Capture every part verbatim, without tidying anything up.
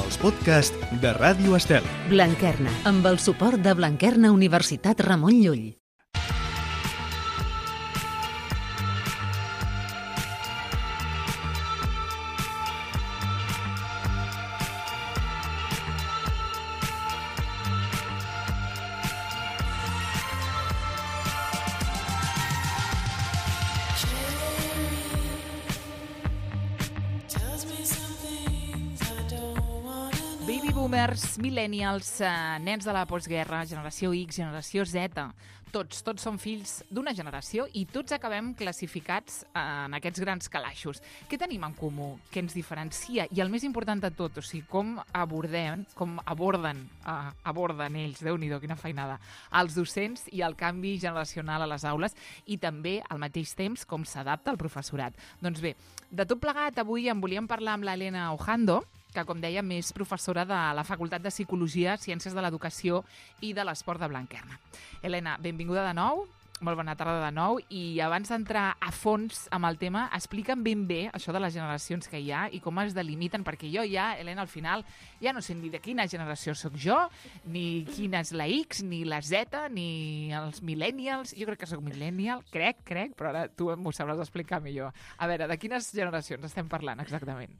els podcasts de Ràdio Estel. Blanquerna, amb el suport de Blanquerna Universitat Ramon Llull. Boomers, millennials, eh, nens de la postguerra, generació X, generació Z, tots, tots són fills d'una generació i tots acabem classificats eh, en aquests grans calaixos. Què tenim en comú? Què ens diferencia? I el més important de tot, o sigui, com abordem, com aborden, eh, aborden ells, Déu-n'hi-do, quina feinada, els docents i el canvi generacional a les aules i també, al mateix temps, com s'adapta al professorat. Doncs bé, de tot plegat, avui en volíem parlar amb l'Helena Ojando, que, com dèiem, és professora de la Facultat de Psicologia, Ciències de l'Educació i de l'Esport de Blanquerna. Helena, benvinguda de nou, molt bona tarda de nou, i abans d'entrar a fons amb el tema, explica'm ben bé això de les generacions que hi ha i com es delimiten, perquè jo ja, Helena, al final, ja no sé ni de quina generació sóc jo, ni quina és la X, ni la Z, ni els millennials. Jo crec que sóc millennial, crec, crec, però ara tu m'ho sabràs explicar millor. A veure, de quines generacions estem parlant exactament?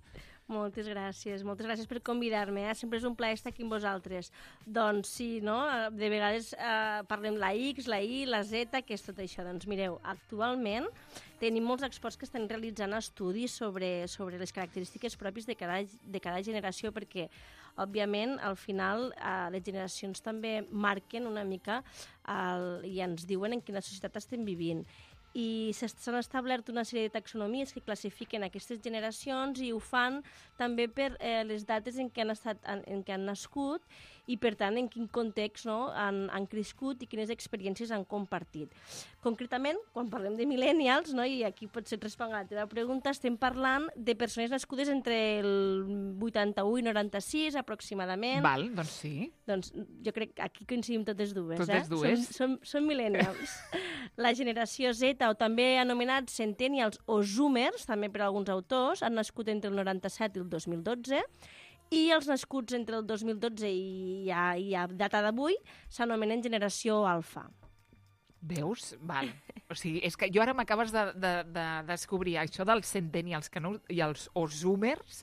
Moltes gràcies, moltes gràcies per convidar-me. Eh? Sempre és un plaer estar aquí amb vosaltres. Doncs sí, no? De vegades eh, parlem la X, la Y, la Z, què és tot això? Doncs mireu, actualment tenim molts experts que estan realitzant estudis sobre, sobre les característiques pròpies de cada, de cada generació, perquè, òbviament, al final, eh, les generacions també marquen una mica el, i ens diuen en quina societat estem vivint. I s'han establert una sèrie de taxonomies que classifiquen aquestes generacions i ho fan també per eh, les dates en què han, estat, en, en què han nascut i, per tant, en quin context no, han, han crescut i quines experiències han compartit. Concretament, quan parlem de millennials, no, i aquí potser et responc a la teva pregunta, estem parlant de persones nascudes entre el vuitanta-u i noranta-sis, aproximadament. Val, doncs sí. Doncs jo crec que aquí coincidim totes dues. Totes eh? dues. Som, som, som millennials. La generació Z, o també anomenats centennials o zoomers, també per alguns autors, han nascut entre el noranta-set i el dos mil dotze, i els nascuts entre el dos mil dotze i a, i a data d'avui s'anomenen generació alfa. Veus? Val. O sigui, és que jo ara m'acabes de, de, de descobrir això dels centennials que no, i els o zoomers,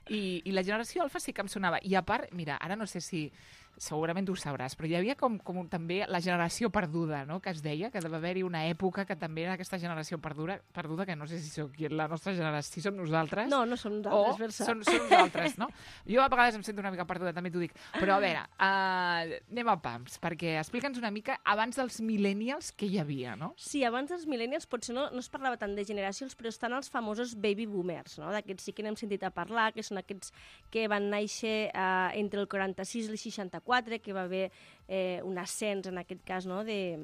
i, i la generació alfa sí que em sonava. I a part, mira, ara no sé si segurament tu ho sabràs, però hi havia com, com també la generació perduda, no?, que es deia, que deve haver-hi una època que també era aquesta generació perduda, perduda que no sé si sóc la nostra generació, si som nosaltres. No, no som nosaltres, o Versa. Són, són nosaltres, no? Jo a vegades em sento una mica perduda, també t'ho dic. Però a veure, uh, anem a pams, perquè explica'ns una mica abans dels millennials què hi havia, no? Sí, abans dels millennials potser no, no es parlava tant de generacions, però estan els famosos baby boomers, no? D'aquests sí que n'hem sentit a parlar, que són aquests que van néixer uh, entre el quaranta-sis i el seixanta-quatre, que va haver eh, un ascens, en aquest cas, no?, de,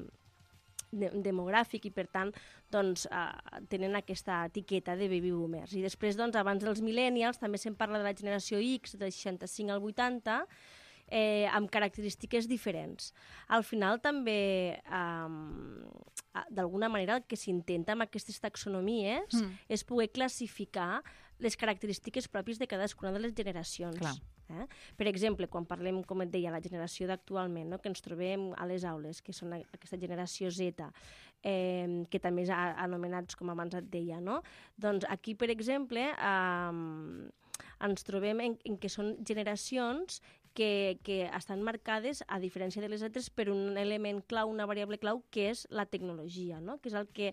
de, demogràfic, i per tant doncs, eh, tenen aquesta etiqueta de baby boomers. I després, doncs, abans dels millennials, també se'n parla de la generació X, del seixanta-cinc al vuitanta, eh, amb característiques diferents. Al final, també, eh, d'alguna manera, el que s'intenta amb aquestes taxonomies mm. és poder classificar les característiques pròpies de cadascuna de les generacions. Clar. Eh? Per exemple, quan parlem, com et deia, la generació d'actualment, no?, que ens trobem a les aules, que són aquesta generació Z, eh, que també és anomenats, com abans et deia, no? Doncs aquí, per exemple, eh, ens trobem en, en que són generacions que, que estan marcades, a diferència de les altres, per un element clau, una variable clau, que és la tecnologia, no?, que és el que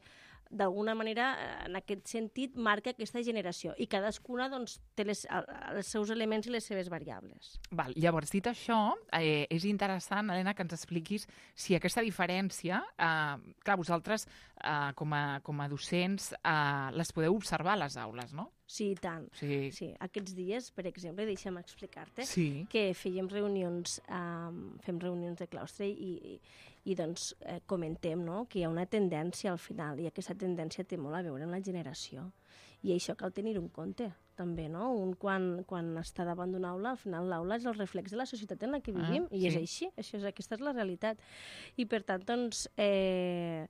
d'alguna manera, en aquest sentit, marca aquesta generació. I cadascuna doncs, té les, els seus elements i les seves variables. Val. Llavors, dit això, eh, és interessant, Helena, que ens expliquis si aquesta diferència, eh, clar, vosaltres, eh, com, a, com a docents, eh, les podeu observar a les aules, no? Sí, i tant. Sí. Sí. Aquests dies, per exemple, deixa'm explicar-te sí. que fèiem reunions, um, fem reunions de claustre i, i, i doncs eh, comentem, no?, que hi ha una tendència al final, i aquesta tendència té molt a veure amb la generació. I això cal tenir-ho en compte, també, no? Un quan, quan està davant d'una aula, al final l'aula és el reflex de la societat en la que vivim, ah, i sí. és així, això és, aquesta és la realitat. I per tant, doncs, eh,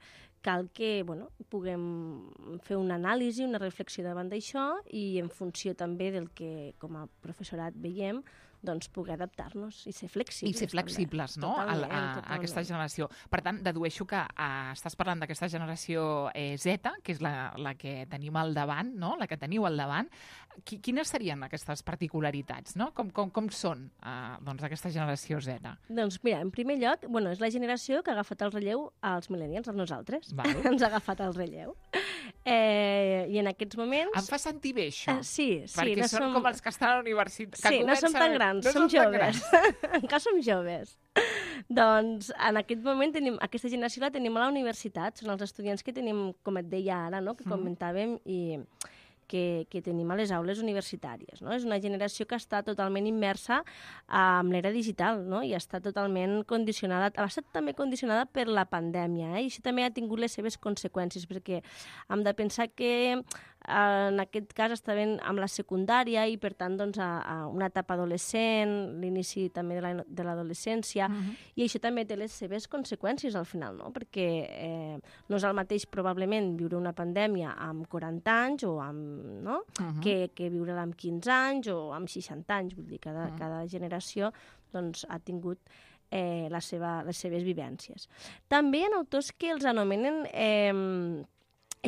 cal que bueno, puguem fer una anàlisi, una reflexió davant d'això i en funció també del que com a professorat veiem, doncs poder adaptar-nos i ser flexibles. I ser flexibles, també. No? Totalment, a, a, a aquesta generació. Per tant, dedueixo que uh, estàs parlant d'aquesta generació eh, Z, que és la, la que tenim al davant, no? La que teniu al davant. Qui, quines serien aquestes particularitats? No? Com, com, com són uh, doncs, aquesta generació Z? Doncs mira, en primer lloc, bueno, és la generació que ha agafat el relleu als millennials, a nosaltres. Vale. Ens ha agafat el relleu. Eh, I en aquests moments... Em fa sentir bé, això. Uh, sí, sí. Perquè no són som... com els que estan a la universitat. Sí, no som tan grans, no som joves. Encara som joves. Doncs en aquest moment tenim, aquesta generació la tenim a la universitat, són els estudiants que tenim, com et deia ara, no? que comentàvem, i que, que tenim a les aules universitàries. No? És una generació que està totalment immersa en l'era digital, no? I està totalment condicionada, ha estat també condicionada per la pandèmia, eh? I això també ha tingut les seves conseqüències, perquè hem de pensar que en aquest cas estaven amb la secundària i, per tant, doncs, a, a una etapa adolescent, l'inici també de, la, de l'adolescència, uh-huh. i això també té les seves conseqüències al final, no? Perquè eh, no és el mateix probablement viure una pandèmia amb quaranta anys o amb, no? uh-huh. que, que viure-la amb quinze anys o amb seixanta anys, vull dir, cada, uh-huh. cada generació doncs, ha tingut eh, la seva, les seves vivències. També hi ha autors que els anomenen eh,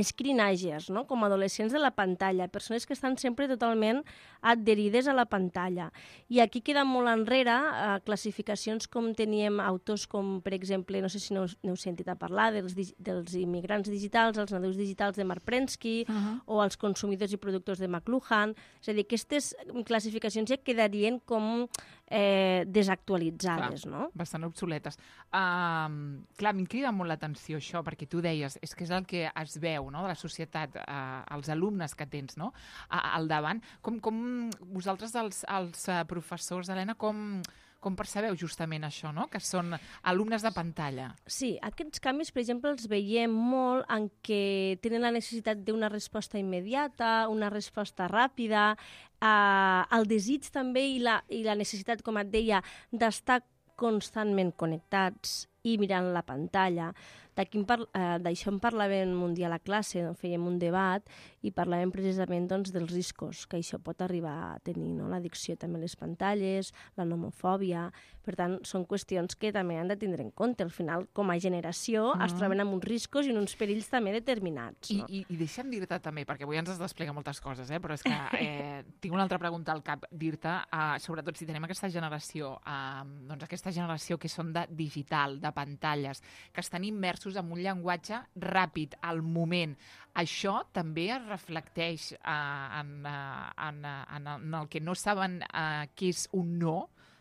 screenagers, no? Com adolescents de la pantalla, persones que estan sempre totalment adherides a la pantalla. I aquí queda molt enrere eh, classificacions com teníem autors com, per exemple, no sé si n'heu sentit a parlar, dels, dels immigrants digitals, els nadius digitals de Mark Prensky, uh-huh. o els consumidors i productors de McLuhan. És a dir, aquestes classificacions ja quedarien com eh, desactualitzades, clar, no? Bastant obsoletes. Uh, clar, em crida molt l'atenció això, perquè tu deies, és que és el que es veu, no?, de la societat, uh, els alumnes que tens, no?, uh, al davant. Com, com vosaltres, els, els uh, professors, Helena, com, com percebeu justament això, no?, que són alumnes de pantalla? Sí, aquests canvis, per exemple, els veiem molt en què tenen la necessitat d'una resposta immediata, una resposta ràpida, eh, el desig també i la, i la necessitat, com et deia, d'estar constantment connectats i mirant la pantalla. D'això en parlàvem un dia a la classe, no? Fèiem un debat i parlàvem precisament doncs, dels riscos que això pot arribar a tenir, no? L'addicció també a les pantalles, la nomofòbia. Per tant, són qüestions que també han de tindre en compte. Al final, com a generació, mm. es troben amb uns riscos i uns perills també determinats. No? I, i, i deixa'm dir-te també, perquè avui ens has d'explicar moltes coses, eh? Però és que eh, tinc una altra pregunta al cap, dir-te, eh, sobretot si tenem aquesta generació, eh, doncs aquesta generació que són de digital, de pantalles, que estan immersos en un llenguatge ràpid, al moment. Això també es reflecteix eh, en, en, en, en el que no saben eh, què és un no,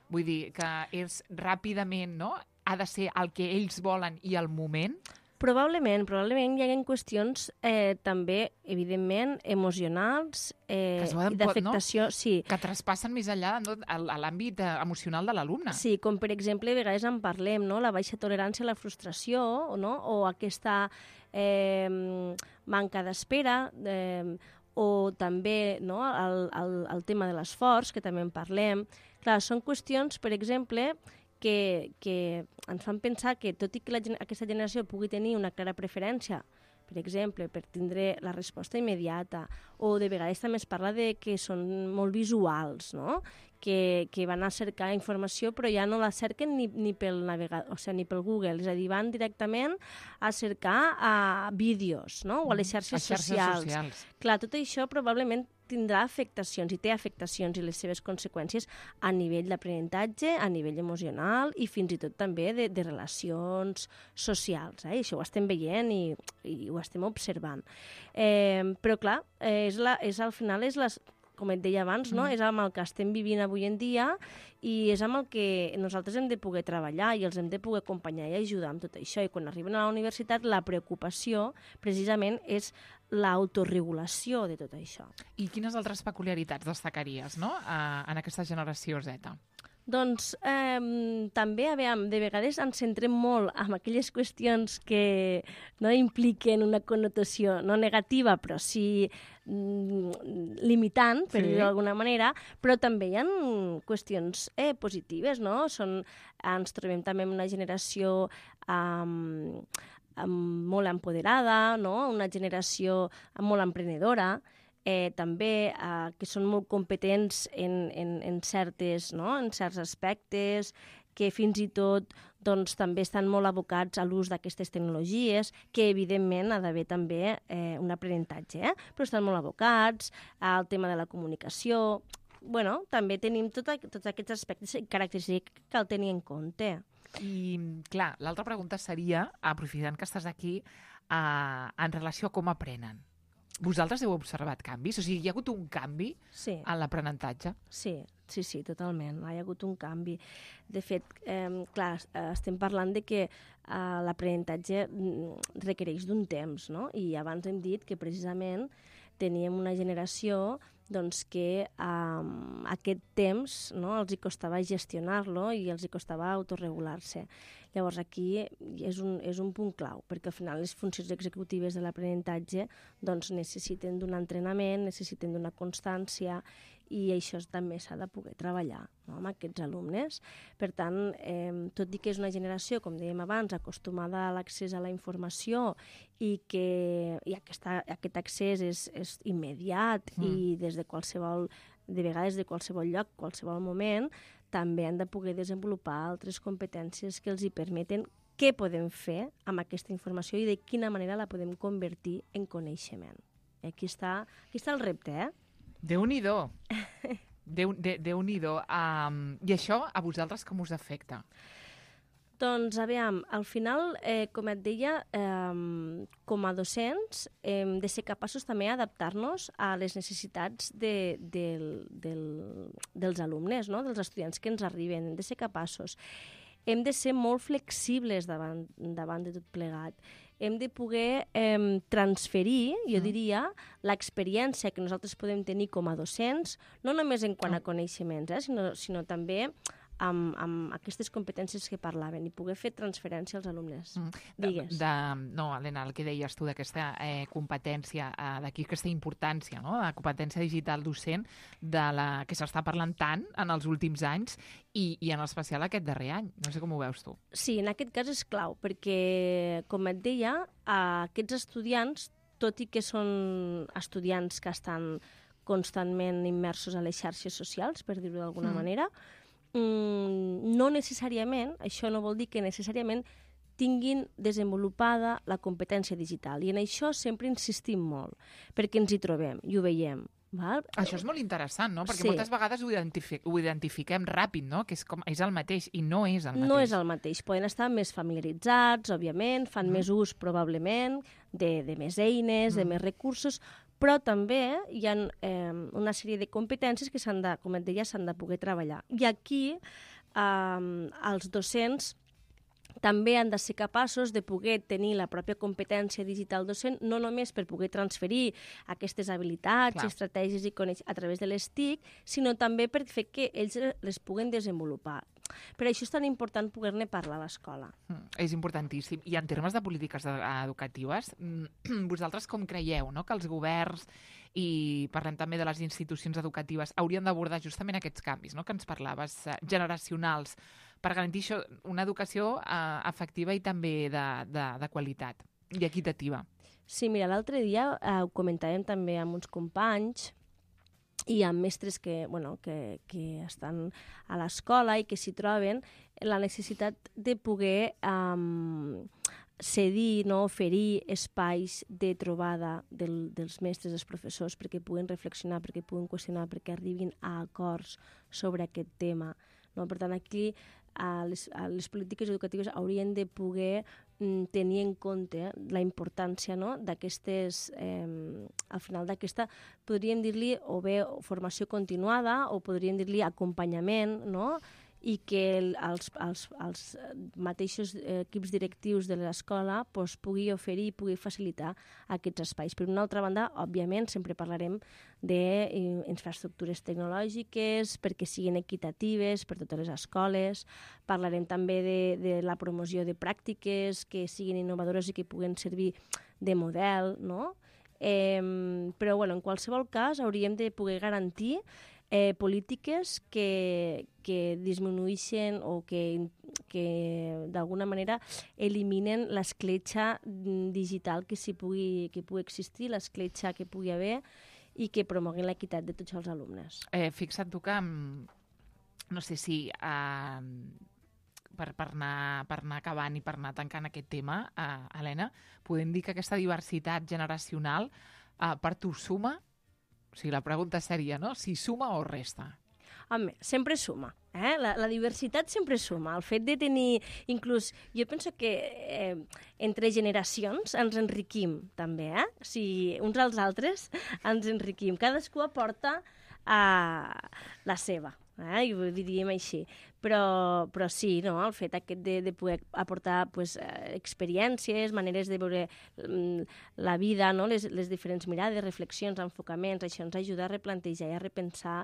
vull dir que és ràpidament, no?, ha de ser el que ells volen i el moment? Probablement, probablement hi ha qüestions eh, també, evidentment, emocionals eh, i d'afectació. No? Sí. Que traspassen més enllà, no?, a l'àmbit emocional de l'alumne. Sí, com per exemple, a vegades en parlem, no?, la baixa tolerància a la frustració, no?, o aquesta eh, manca d'espera, eh, o també, no?, el, el, el tema de l'esforç, que també en parlem. Clar, són qüestions, per exemple, que, que ens fan pensar que, tot i que la, aquesta generació pugui tenir una clara preferència, per exemple, per tindre la resposta immediata, o de vegades també es parla de que són molt visuals, no?, que, que van a cercar informació però ja no la cerquen ni, ni pel navegador, o sigui, ni pel Google, és a dir, van directament a cercar a vídeos, no?, o a les xarxes, a xarxes socials. socials. Clar, tot això probablement tindrà afectacions i té afectacions i les seves conseqüències a nivell d'aprenentatge, a nivell emocional i fins i tot també de, de relacions socials. Eh? I això ho estem veient i, i ho estem observant. Eh, però clar, eh, és la, és, al final és les, com et deia abans, no? Mm. és amb el que estem vivint avui en dia i és amb el que nosaltres hem de poder treballar i els hem de poder acompanyar i ajudar amb tot això. I quan arriben a la universitat, la preocupació precisament és l'autoregulació de tot això. I quines altres peculiaritats destacaries, no?, uh, en aquesta generació Z? Doncs eh, també, a veure, de vegades ens centrem molt en aquelles qüestions que no impliquen una connotació no negativa, però sí mm, limitant, per sí. dir-ho d'alguna manera, però també hi ha qüestions eh, positives, no? Són, ens trobem també en una generació... Um, molt empoderada, no? Una generació molt emprenedora, eh, també eh, que són molt competents en, en, en, certes, no? En certs aspectes, que fins i tot doncs, també estan molt abocats a l'ús d'aquestes tecnologies, que evidentment ha d'haver també eh, un aprenentatge, eh? Però estan molt abocats al tema de la comunicació. Bueno, també tenim tot, tots aquests aspectes característics que cal tenir en compte. I, clar, l'altra pregunta seria, aprofitant que estàs aquí, eh, en relació a com aprenen. Vosaltres heu observat canvis? O sigui, hi ha hagut un canvi sí. en l'aprenentatge? Sí, sí, sí, totalment. Hi ha hagut un canvi. De fet, eh, clar, estem parlant de que eh, l'aprenentatge requereix d'un temps, no? I abans hem dit que precisament teníem una generació doncs, que eh, aquest temps, no, els hi costava gestionar-lo i els hi costava autorregular-se. Llavors aquí és un, és un punt clau, perquè al final les funcions executives de l'aprenentatge doncs, necessiten d'un entrenament, necessiten d'una constància, i això també s'ha de poder treballar, no, amb aquests alumnes. Per tant, eh, tot i que és una generació, com dèiem abans, acostumada a l'accés a la informació i que i aquesta, aquest accés és, és immediat mm. i des de qualsevol, de vegades de qualsevol lloc, qualsevol moment, també han de poder desenvolupar altres competències que els hi permeten què podem fer amb aquesta informació i de quina manera la podem convertir en coneixement. I aquí està, aquí està el repte, eh? Déu-n'hi-do. Déu, de, Déu-n'hi-do. Um, I això a vosaltres com us afecta? Doncs, aviam, al final, eh, com et deia, eh, com a docents hem de ser capaços també d'adaptar-nos a les necessitats de, de, del, dels alumnes, no? Dels estudiants que ens arriben. Hem de ser capaços. Hem de ser molt flexibles davant, davant de tot plegat. Hem de poder eh, transferir, jo diria, l'experiència que nosaltres podem tenir com a docents, no només en quant a coneixements, eh, sinó, sinó també amb, amb aquestes competències que parlaven i poder fer transferència als alumnes. Mm. Digues. De, de, no, Helena, el que deies tu d'aquesta eh, competència, eh, d'aquí aquesta importància, no?, de la competència digital docent de la que s'està parlant tant en els últims anys i, i en especial aquest darrer any. No sé com ho veus tu. Sí, en aquest cas és clau, perquè, com et deia, aquests estudiants, tot i que són estudiants que estan constantment immersos a les xarxes socials, per dir-ho d'alguna mm. manera, Mm, no necessàriament, això no vol dir que necessàriament tinguin desenvolupada la competència digital. I en això sempre insistim molt, perquè ens hi trobem i ho veiem. Val? Això és molt interessant, no? Perquè sí. moltes vegades ho, identific ho identifiquem ràpid, no? Que és, com, és el mateix, i no és el mateix. No és el mateix. Poden estar més familiaritzats, òbviament, fan mm. més ús, probablement, de, de més eines, mm. de més recursos, però també hi ha eh, una sèrie de competències que s'han de, com et deia, s'han de poder treballar. I aquí eh, els docents també han de ser capaços de poder tenir la pròpia competència digital docent, no només per poder transferir aquestes habilitats, Clar. estratègies i coneix a través de les T I C, sinó també per fer que ells les puguen desenvolupar. Per això és tan important poder-ne parlar a l'escola. Mm, és importantíssim. I en termes de polítiques educatives, vosaltres com creieu, no?, que els governs, i parlem també de les institucions educatives, haurien d'abordar justament aquests canvis, no?, que ens parlaves, eh, generacionals, per garantir això, una educació eh, efectiva i també de, de, de qualitat i equitativa? Sí, mira, l'altre dia eh, ho comentàvem també amb uns companys i amb mestres que, bueno, que, que estan a l'escola i que s'hi troben, la necessitat de poder um, cedir, no, oferir espais de trobada del, dels mestres, dels professors, perquè puguen reflexionar, perquè puguen qüestionar, perquè arribin a acords sobre aquest tema. No? Per tant, aquí a les, a les polítiques educatives haurien de poder mm, tenir en compte la importància, no?, d'aquestes, eh, al final d'aquesta, podríem dir-li o bé formació continuada o podríem dir-li acompanyament, no?, i que el, els, els, els mateixos equips directius de l'escola pues, pugui oferir i pugui facilitar aquests espais. Per una altra banda, òbviament, sempre parlarem d'infraestructures tecnològiques perquè siguin equitatives per totes les escoles, parlarem també de, de la promoció de pràctiques que siguin innovadores i que puguen servir de model, no? Eh, però, bueno, en qualsevol cas, hauríem de poder garantir eh, polítiques que, que disminueixen o que, que d'alguna manera eliminen l'escletxa digital que, si pugui, que pugui existir, l'escletxa que pugui haver i que promoguin l'equitat de tots els alumnes. Eh, fixa't tu que, no sé si... Eh, Per, per, anar, per anar acabant i per anar tancant aquest tema, uh, Helena, podem dir que aquesta diversitat generacional uh, per tu suma? O sigui, la pregunta seria, no? Si suma o resta? Home, sempre suma. Eh? La, la diversitat sempre suma. El fet de tenir, inclús, jo penso que eh, entre generacions ens enriquim també, eh? O sigui, uns als altres ens enriquim. Cadascú aporta uh, la seva. Eh, i ho diríem així. Però, però sí, no? El fet aquest de, de poder aportar pues, eh, experiències, maneres de veure mm, la vida, no? les, les diferents mirades, reflexions, enfocaments, això ens ajuda a replantejar i a repensar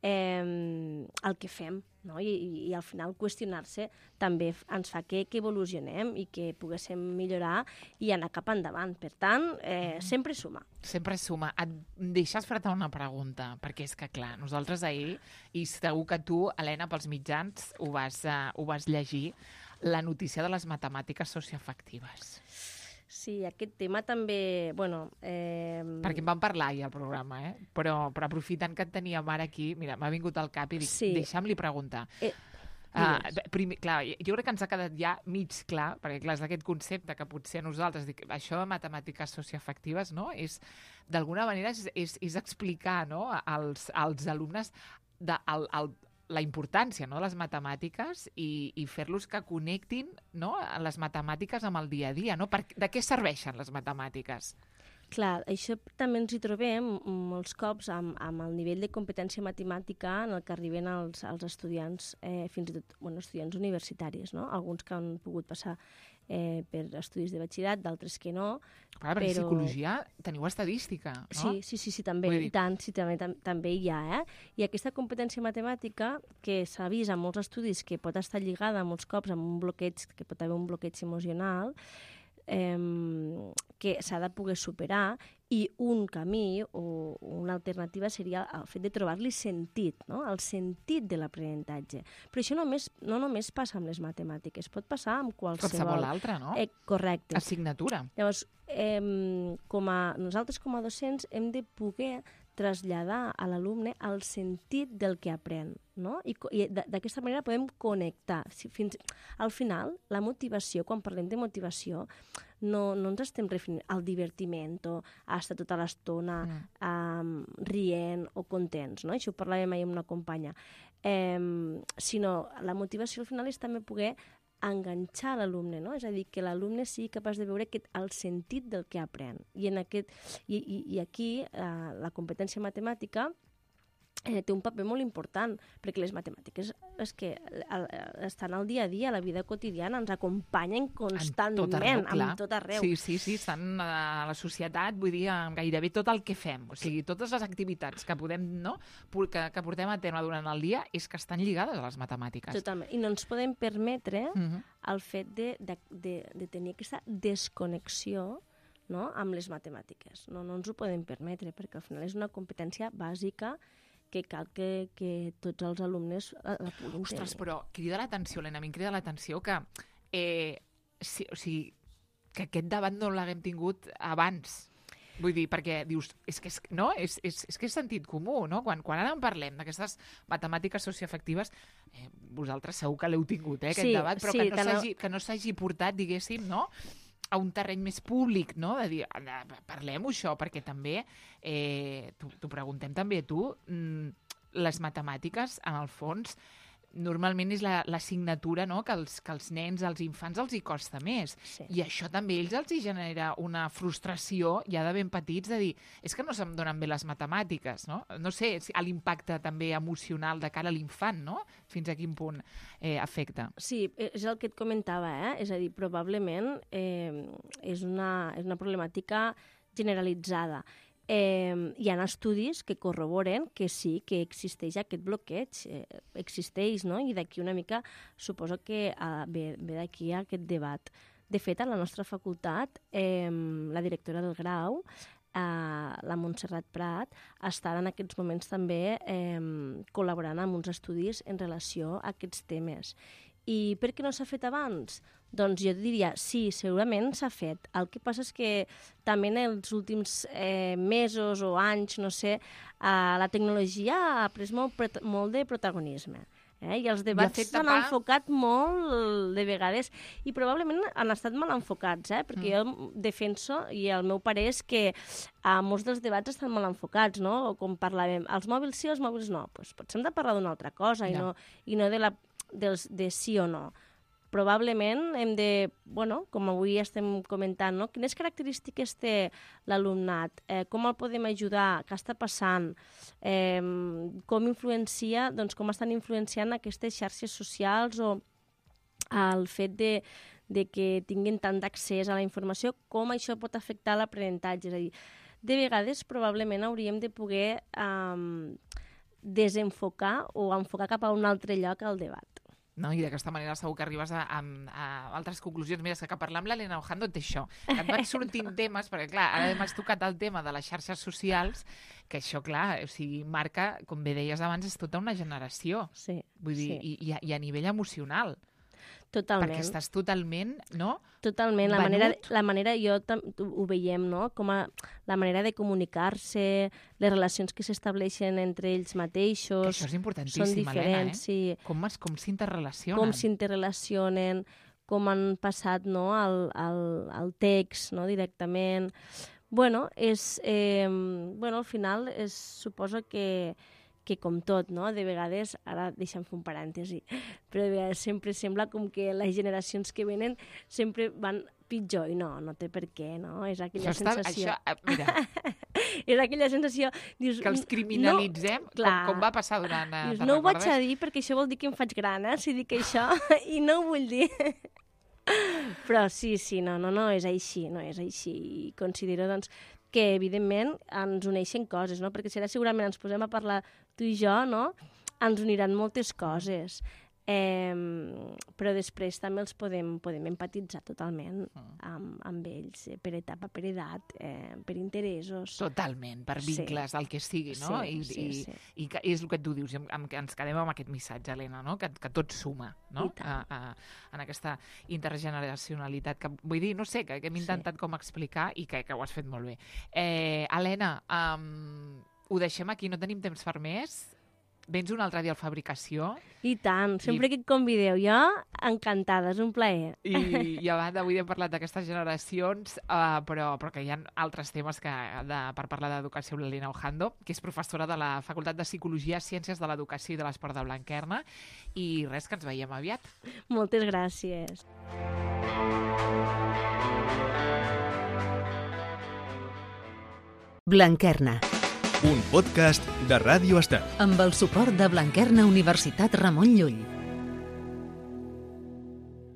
eh, el que fem, no? I, i, i al final qüestionar-se també ens fa que, que evolucionem i que poguéssim millorar i anar cap endavant. Per tant, eh, sempre suma. Sempre suma. Et deixes fer-te una pregunta, perquè és que, clar, nosaltres ahir, i segur que tu, Helena, pels mitjans, ho vas, uh, ho vas llegir, la notícia de les matemàtiques socioafectives. Sí, aquest tema també, bueno... Eh... Perquè en vam parlar ahir al programa, eh? Però, però aprofitant que et teníem ara aquí, mira, m'ha vingut al cap i dic, sí. Deixa'm-li preguntar. Eh... Uh, primer, clar, jo crec que ens ha quedat ja mig clar, perquè clar, és aquest concepte que potser nosaltres, dic, això de matemàtiques socioafectives, no? És, d'alguna manera, és, és, és explicar, no? als, als alumnes de, el, el, la importància, no? de les matemàtiques i, i fer-los que connectin, no? les matemàtiques amb el dia a dia. No? Per, de què serveixen les matemàtiques? Clar, això també ens hi trobem molts cops amb, amb el nivell de competència matemàtica en el que arriben els, els estudiants, eh, fins i tot bueno, estudiants universitaris, no? Alguns que han pogut passar eh, per estudis de batxillerat, d'altres que no. Clar, però... en psicologia teniu estadística, no? Sí, sí, sí, sí també, i tant, sí, també, tam, també hi ha, eh? I aquesta competència matemàtica, que s'ha vist en molts estudis que pot estar lligada molts cops amb un bloqueig, que pot haver un bloqueig emocional, Eh, que s'ha de poder superar, i un camí o una alternativa seria el fet de trobar-li sentit, no? El sentit de l'aprenentatge. Però això només, no només passa amb les matemàtiques, pot passar amb qualsevol... Qualsevol altra, no? Eh, correcte. Assignatura. Llavors, eh, com a, nosaltres com a docents hem de poder traslladar a l'alumne el sentit del que aprèn, no? I, i d'aquesta manera podem connectar. Si, fins, al final, la motivació, quan parlem de motivació, no, no ens estem referint al divertiment o a estar tota l'estona mm. um, rient o contents, no? Això ho parlàvem ahir amb una companya. Eh, sinó la motivació al final és també poder enganxar l'alumne, no? És a dir, que l'alumne sigui capaç de veure aquest, el sentit del que aprèn. I, en aquest, i, i, i aquí eh, la competència matemàtica eh, té un paper molt important, perquè les matemàtiques és que el, estan al dia a dia, a la vida quotidiana, ens acompanyen constantment, tot arreu, amb tot arreu. Sí, sí, sí, estan a la societat, vull dir, amb gairebé tot el que fem. O sigui, totes les activitats que podem, no?, que, que portem a terme durant el dia és que estan lligades a les matemàtiques. Totalment. I no ens podem permetre uh -huh. el fet de, de, de, de tenir aquesta desconnexió, no?, amb les matemàtiques. No, no ens ho podem permetre, perquè al final és una competència bàsica que cal que, que tots els alumnes la, la puguin tenir. Ostres, però crida l'atenció, Helena, a mi em crida l'atenció que, eh, si, o sigui, que aquest debat no l'haguem tingut abans. Vull dir, perquè dius, és que és, no? és, és, és que és sentit comú, no? Quan, quan ara en parlem d'aquestes matemàtiques socioafectives, eh, vosaltres segur que l'heu tingut, eh, aquest sí, debat, però sí, que, no s'hagi, que no s'hagi portat, diguéssim, no?, a un terreny més públic, no?, de dir, parlem-ho això, perquè també, eh, t'ho preguntem també a tu, mm, les matemàtiques, en el fons, normalment és l'assignatura, no?, que els, que els nens, als infants, els hi costa més. Sí. I això també ells els hi genera una frustració, ja de ben petits, de dir, és que no se'm donen bé les matemàtiques, no? No sé, l'impacte també emocional de cara a l'infant, no?, fins a quin punt eh, afecta. Sí, és el que et comentava, eh? És a dir, probablement eh, és, una, és una problemàtica generalitzada. Eh, hi ha estudis que corroboren que sí, que existeix aquest bloqueig, eh, existeix, no? I d'aquí una mica suposo que eh, ve, ve d'aquí aquest debat. De fet, a la nostra facultat, eh, la directora del grau Uh, la Montserrat Prat està en aquests moments també eh, col·laborant amb uns estudis en relació a aquests temes. I per què no s'ha fet abans? Doncs jo diria, sí, segurament s'ha fet. El que passa és que també en els últims eh, mesos o anys, no sé, eh, la tecnologia ha pres molt, molt de protagonisme. Eh? I els debats s'han tapar... enfocat molt de vegades i probablement han estat mal enfocats, eh? perquè mm. jo defenso i el meu parer és que a molts dels debats estan mal enfocats, no? O com parlàvem, els mòbils sí, els mòbils no. Pues potser hem de parlar d'una altra cosa yeah. i, no, i no de, la, dels, de sí o no. Probablement hem de, bueno, com avui estem comentant, no? Quines característiques té l'alumnat? Eh, com el podem ajudar? Què està passant? Eh, com influencia, doncs com estan influenciant aquestes xarxes socials o el fet de, de que tinguin tant d'accés a la informació, com això pot afectar l'aprenentatge? És a dir, de vegades probablement hauríem de poder eh, desenfocar o enfocar cap a un altre lloc al debat. No? I d'aquesta manera segur que arribes a, a, a altres conclusions. Mira, és que parlar amb l'Helena Ojando et això. Et van sortint temes, perquè clar, ara m'has tocat el tema de les xarxes socials, que això, clar, o sigui, marca, com bé deies abans, és tota una generació. Sí, Vull dir, sí. i, i a nivell emocional. Totalment. Perquè estàs totalment, no? Totalment. La manera, la manera, jo ho veiem, no? Com a, la manera de comunicar-se, les relacions que s'estableixen entre ells mateixos... Que això és importantíssim, Helena, eh? Sí. Com, es, com s'interrelacionen. Com s'interrelacionen, com han passat, no?, al, al, al text, no?, directament. Bueno, és... Eh, bueno, al final es suposa que... que com tot, no? De vegades, ara deixa'm fer un parèntesi, però de vegades sempre sembla com que les generacions que venen sempre van pitjor, i no, no té per què, no? És aquella això sensació... Està, això, mira... és aquella sensació... Dius, que els criminalitzem, no, com, com va passar durant... Dius, no ho vaig a dir perquè això vol dir que em faig gran, eh? Si dic això, i no ho vull dir... Però sí, sí, no, no, no és així, no és així. I considero, doncs, que, evidentment, ens uneixen coses, no? Perquè si ara segurament ens posem a parlar tu i jo, no? Ens uniran moltes coses. Eh, però després també els podem, podem empatitzar totalment amb, amb ells, eh, per etapa, per edat, eh, per interessos. Totalment, per vincles, sí. El que sigui, no? Sí, I, sí, i, sí. I que és el que tu dius, i amb, amb, ens quedem amb aquest missatge, Helena, no? Que, que tot suma, no? A, a, en aquesta intergeneracionalitat, que vull dir, no sé, que, que hem intentat sí. com explicar i que, que ho has fet molt bé. Eh, Helena, um, ho deixem aquí, no tenim temps per més. Vens un altre dia al Fabricació. I tant, sempre I... que et convideu. Jo, encantada, és un plaer. I, i a banda, avui hem parlat d'aquestes generacions, uh, però, però que hi ha altres temes que, de, per parlar d'educació amb l'Helena Ojando, que és professora de la Facultat de Psicologia, Ciències de l'Educació i de l'Esport de Blanquerna. I res, que ens veiem aviat. Moltes gràcies. Blanquerna. Un podcast de Ràdio Estel. Amb el suport de Blanquerna Universitat Ramon Llull.